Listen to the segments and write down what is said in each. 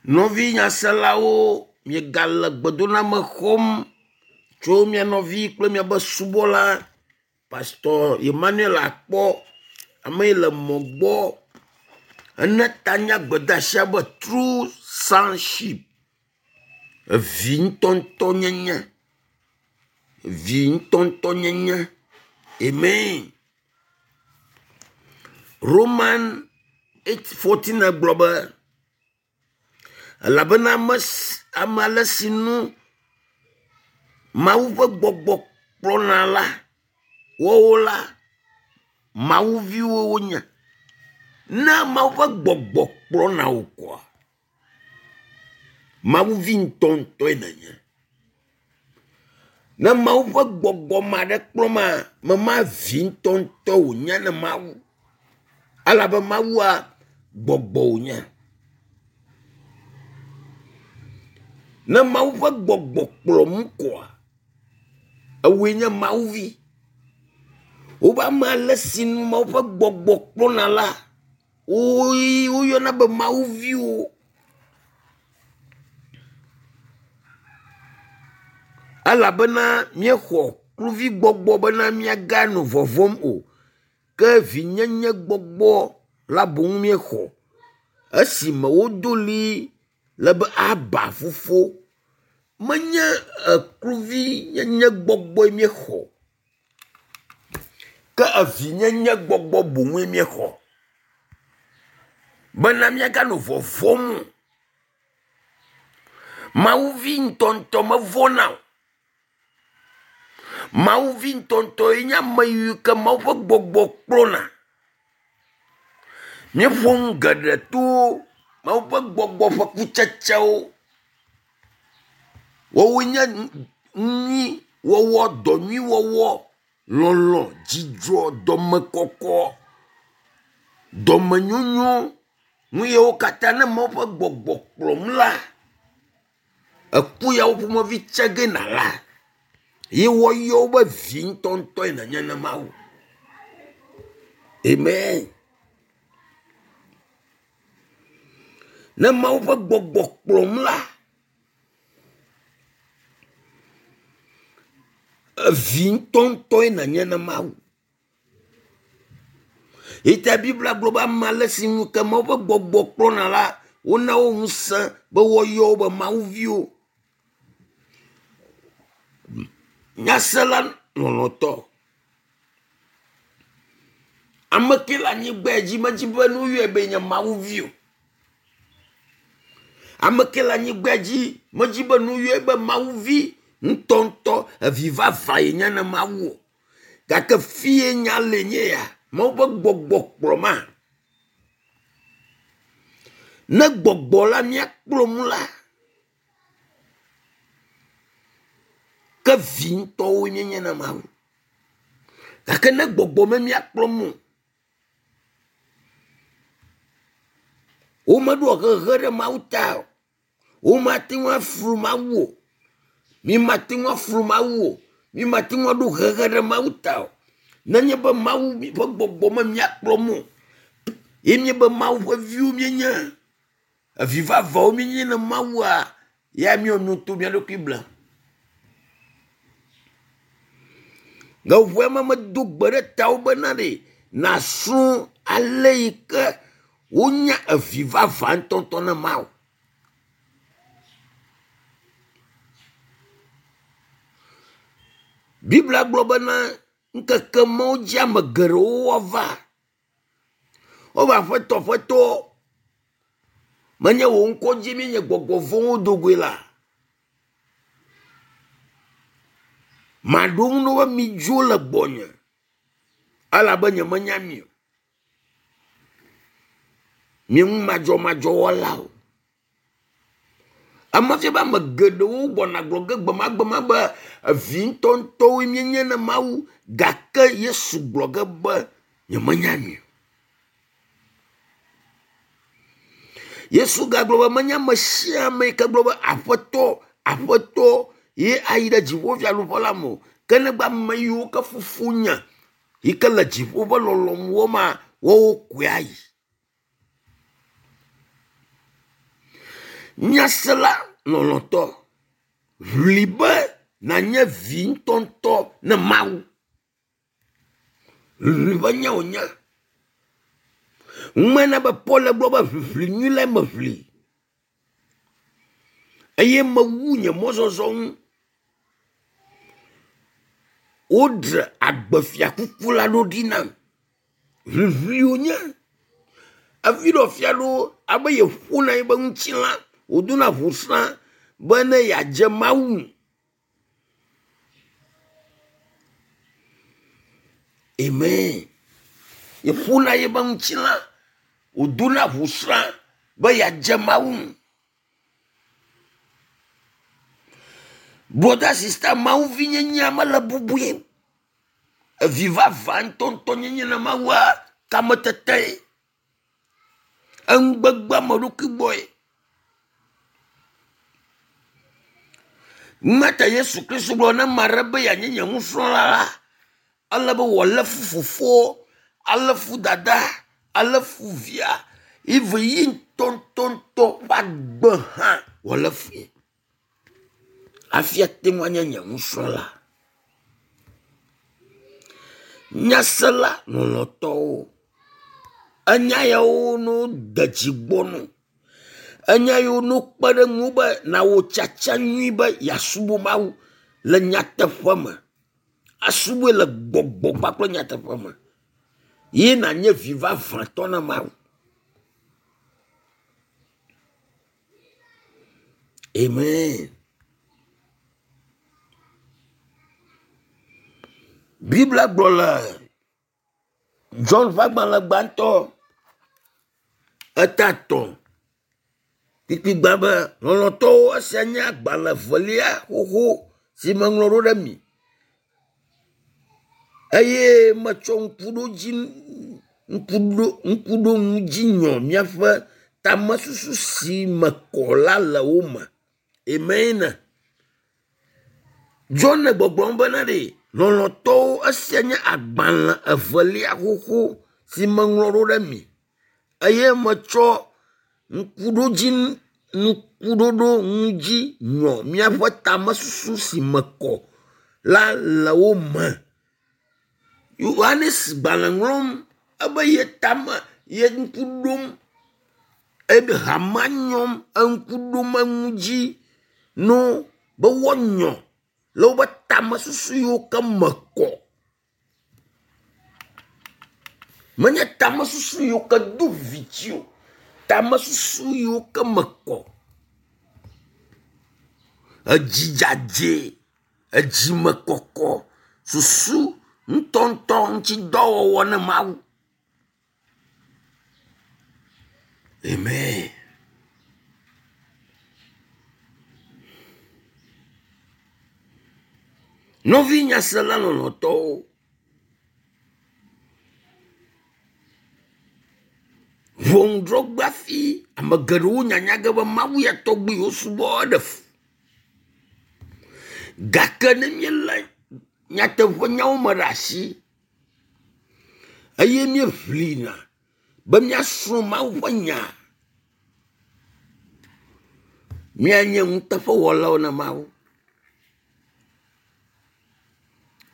Nɔvi nyaselawo, miegale gbedoname xɔm tso mia nɔvi kple miaƒe subɔla Pastor Emmanuel Akpɔ, ame yi le mɔ gbɔ ene ta na gbedeasia be tru sonship. Evi ŋutɔŋutɔ nyenye. Vi ŋutɔŋutɔ nyenye. Amen. Roman 8:14 gblɔ be elabena ame ame ale si nu Mawu ƒe gbɔgbɔ kplɔna la, woawo la, mawuviwo wonye. Ne Mawu ƒe gbɔgbɔ kplɔna wò koa, mawuvi ŋutɔŋutɔe nènye. Ne Mawu ƒe gbɔgbɔ ma ɖe kplɔ ma, mema vi ŋutɔŋutɔ wònye ne Mawu. Elabe Mawua gbɔgbɔ wònye. Ne Mawu ƒe gbɔgbɔ kplɔ mí koa, ewòe nye Mawuvi. Wobe ame ale si nu Mawu ƒe gbɔgbɔ kplɔna la, woe woyɔna be Mawuviwo. Elabena míexɔ kluvigbɔgbɔ bena míaganɔ vɔvɔ̃m o. Ke vinyenye gbɔgbɔ la boŋ míexɔ esime wodo ɣli le be Aba fofo. Menye ekluvinyenye gbɔgbɔe míexɔ o, ke evinyenye gbɔgbɔ boŋue míexɔ bena míaganɔ vɔvɔ̃m o. Mawuvi ŋutɔŋutɔ mevɔ̃na o. Mawuvi ŋutɔŋutɔe nye ame yi ke Mawu ƒe gbɔgbɔ kplɔna. Míeƒo nu geɖe to Mawu ƒe gbɔgbɔ ƒe kutsetsewo. Woawoe nye nu nyuiwɔwɔ, dɔ nyuiwɔwɔ, lɔlɔ̃, dzidzɔ, dɔmekɔkɔ, dɔmenyonyo. Nu yawo katã ne Mawu ƒe gbɔgbɔ kplɔm la, eku yawo ƒomevi tse ge nàla ye woayɔ wo be vi ŋutɔŋutɔe nènye na Mawu. Amen. Ne Mawu ƒe gbɔgbɔ kplɔm la, evi ŋutɔŋutɔe nènye na Mawu. Eyi ta Biblia gblɔ be ame ale si ŋu ke Mawu ƒe gbɔgbɔ kplɔna la, wona wo ŋusẽ be woayɔ wo be mawuviwo. Nyasela lɔlɔ̃tɔ, ame ke le anyigba dzi medi be ne woyɔe be nye mawuvi o. Ame ke le anyigba dzi medi be ne woyɔe be mawuvi ŋutɔŋutɔ evi vavã yenye ne Mawu o. Gake fie nya le nye ya, Mawu ƒe gbɔgbɔ kplɔma. Ne gbɔgbɔ la míakplɔ mu la, ke vi ŋutɔwoe míenye na Mawu. Gake ne gbɔgbɔ me míakplɔ mu o, womeɖoa hehe ɖe Mawu ta o. Womate ŋu aflu Mawu o. Mímate ŋu aflu Mawu o. Mímate ŋu aɖo hehe ɖe Mawu ta o. Nenye be Mawu ƒe gbɔgbɔ me míakplɔ mɔ o, ye míebe Mawu ƒe viwo míenye, evi vavãwo míenye ne Mawua, ya míewɔ nu to mía ɖokui blem. Gaƒoƒoa me medo gbe ɖe tawò bena ɖe nàsrɔ̃ ale yi ke wonya evi vavã ŋutɔŋutɔ ne Mawu. Biblia gblɔ bena ŋkeke mawo dzi ame geɖewo woava. Wobe aƒetɔ aƒetɔ menye wò ŋkɔ dzi míenye gbɔgbɔ vɔ̃wo do goe la. Maɖo ŋu na wo be midzo le gbɔnye elabe nyemenya mi o. Mi nu madzɔmadzɔ wɔlawo. Ema fia be ame geɖewo gbɔna gblɔ ge gbemagbema be evi ŋutɔŋutɔwoe míenye na Mawu gake Yesu gblɔ ge be nyemenya mi o. Yesu gagblɔ be menye ame sia ame yi ke gblɔ be Aƒetɔ, Aƒetɔ ye ayi ɖe dziƒofiaɖuƒe la me o. Ke negbe ame yiwo ke fofonye yi ke le dziƒo ƒe lɔlɔ̃nu wɔma, woawo koe ayi. Nyasela lɔlɔ̃tɔ, ʋli be nànye vi ŋutɔŋutɔ ne Mawu. Ʋiʋli ƒe nya wònye. Ŋmena be Paul gblɔ be ʋiʋli nyui lae meʋli eye mewu nye mɔzɔzɔ ŋu. Woɖe agbefiakuku la ɖo ɖi nam. Ʋiʋli wònye. Evi ɖe fia ɖo abe yeƒona yiƒe ŋutilã wòdona ʋusrã be ne yeadze Mawu ŋu. Amen. Yeƒona yiƒe ŋutilã wòdona ʋusrã be yeadze Mawu ŋu. Brother, sister, Mawu vinyenyea mele bubui. Evi vavã ŋutɔŋutɔ nyenye na Mawua kametete, enugbegbe ame ɖokui gbɔe. Mata Yesu Kristo gblɔ ne ame aɖe be yeanye nye nusrɔ̃la la, ele be wòalé fu fofoa, alé fu dada, alé fu via, eve yi ŋutɔŋutɔŋutɔ ƒe agbe hã wòalé fui hafi ate ŋu anye nye nusrɔ̃la. Nyasela lɔlɔ̃tɔwo, enya yawo no de dzi gbɔ no. Enya yiwo no kpe ɖe ŋu be nawɔ tsatsa nyui be yeasubɔ Mawu le nyateƒe me. Asubɔe le gbɔgbɔ kpakple nyateƒe me. Ye nànye vi vavãtɔ na Mawu. Amen. Biblia gblɔ le John ƒe agbalẽ gbãtɔ eta etɔ̃ kpukpui gbã be lɔlɔ̃tɔwo esia nye agbalẽ evelia xoxo si meŋlɔ ɖo ɖe mi eye metsɔ ŋkuɖodzi ŋkuɖo ŋkuɖoŋu dzi nyɔ miaƒe tamesusu si me kɔ la le wo me. Amen. John le gbɔgblɔm bena ɖe lɔlɔ̃tɔwo esia nye agbalẽ evelia xoxo si meŋlɔ ɖo ɖe mi eye metsɔ ŋkuɖodzi ŋkuɖoɖo ŋu dzi nyɔ miaƒe tamesusu si me kɔ la le wo me. Yohanes gbalẽ ŋlɔm ebe ye tame ye ŋku ɖom ebe hamea nyɔm eŋku ɖom eŋu dzi no be woanyɔ le woƒe tamesusu yiwo ke me kɔ. Menye tamesusu yiwo ke do viviti o, tamesusu yiwo ke me kɔ. Edzi dzadzɛ, edzimekɔkɔ, susu ŋutɔŋutɔ ŋutidɔwɔwɔ ne Mawu. Amen. Nɔvi nyasela lɔlɔ̃tɔwo, ʋɔnudrɔ̃gbe hafi ame geɖewo nyanya ge be Mawu ya tɔgbi wosubɔ eɖe fu. Gake ne míelé nyateƒenyawo me ɖe asi eye míeʋlina be míasrɔ̃ Mawu ƒe nya, míanye nuteƒewɔlawo na Mawu.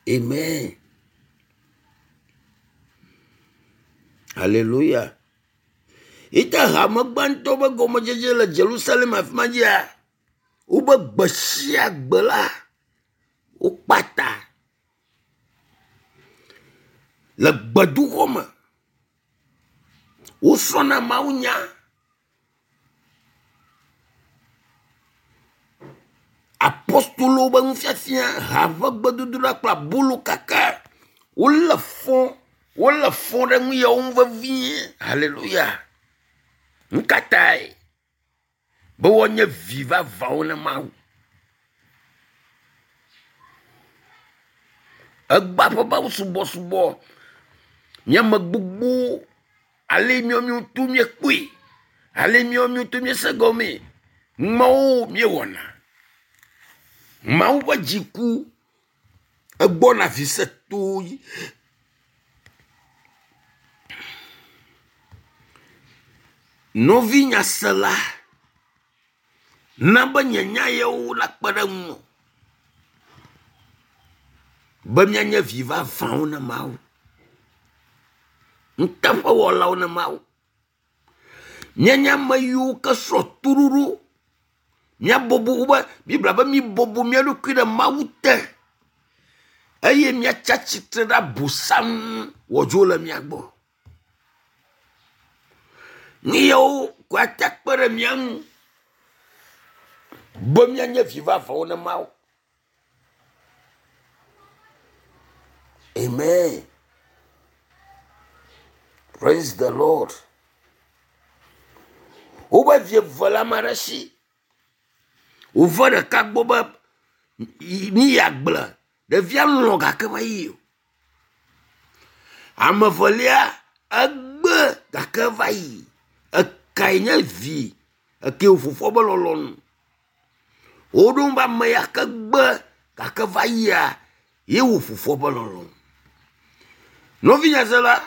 Amen. Hallelujah. Ite hame gbãtɔ ƒe gɔmedzedze le Jerusalem afi ma dzia, wobe gbe sia gbe la, wokpa ta le gbedoxɔ me. Wosrɔ̃na mawunya. Apostolowo ƒe nufiafia, ha ƒe gbedodoɖa kple abolo kaka. Wolé fɔ, wolé fɔ ɖe nu yawo ŋu vevie. Hallelujah. Nu ka tae? Be woanye vi vavãwo na Mawu. Egbea ƒe Mawu subɔsubɔ, mía ame gbogbo ale míawo míawo míekpɔe, ale míawo míawo míese gɔmee, numawo míewɔna. Mawu ƒe dziku egbɔna vi se to yi. Nɔvi nyasela. Na be nye nya yawo nakpe ɖe ŋuwò be míanye vi vavãwo na Mawu, nuteƒewɔlawo na Mawu. Míanye ame yiwo ke srɔ̃ toɖoɖo. Míabɔbɔ wobe Biblia be míbɔbɔ mía ɖokui ɖe Mawu te eye míatsi atsitre ɖe abosam ŋu wòadzo le mía gbɔ. Nu yawo koe ate akpe ɖe mía ŋu be míanye vi vavãwo na Mawu. Amen. Praise the Lord. Wobe vi eve le ame aɖe si. Wòve ɖeka gbɔ be míyi agble. Ɖevia lɔ̃ gake meyi o. Ame evelia egbe gake eva yi. Ekae nye vi eke wò fofoa be lɔlɔ̃nu. Woɖo ŋu be ame ya ke gbe gake va yia ye wɔ fofoa ƒe lɔlɔ̃nu. Nɔvinye zela,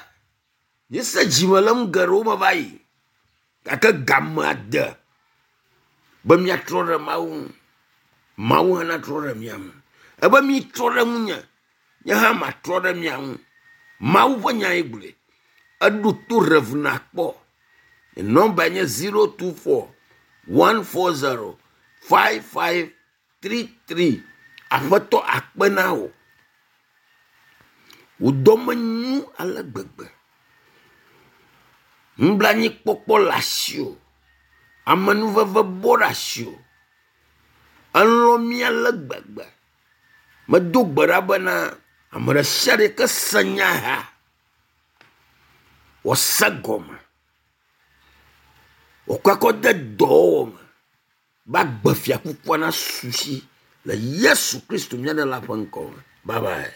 míese dzime le nu geɖewo me va yi gake gamea de be míatrɔ ɖe Mawu ŋu. Mawu hã natrɔ ɖe mía ŋu. Ebe mitrɔ ɖe ŋunye, nye hã matrɔ ɖe mia ŋu. Mawu ƒe nyae gblɔe. Eɖo to Rev nakpɔ. Nɔmba nye 024 140 5533. Aƒetɔ akpe na wò. Wò dɔme nyo ale gbegbe. Nublanuikpɔkpɔ le asiwò. Amenuveve bɔ ɖe asiwò. Elɔ̃ mí ale gbegbe. Medo gbe ɖa bena ame ɖe sia ɖe ke se nya ya wòase gɔme, wòkɔe kɔ de dɔwɔwɔ me be agbe fiakukua nasu si le Yesu Kristo mía Ɖela ƒe ŋkɔ me. Bye bye.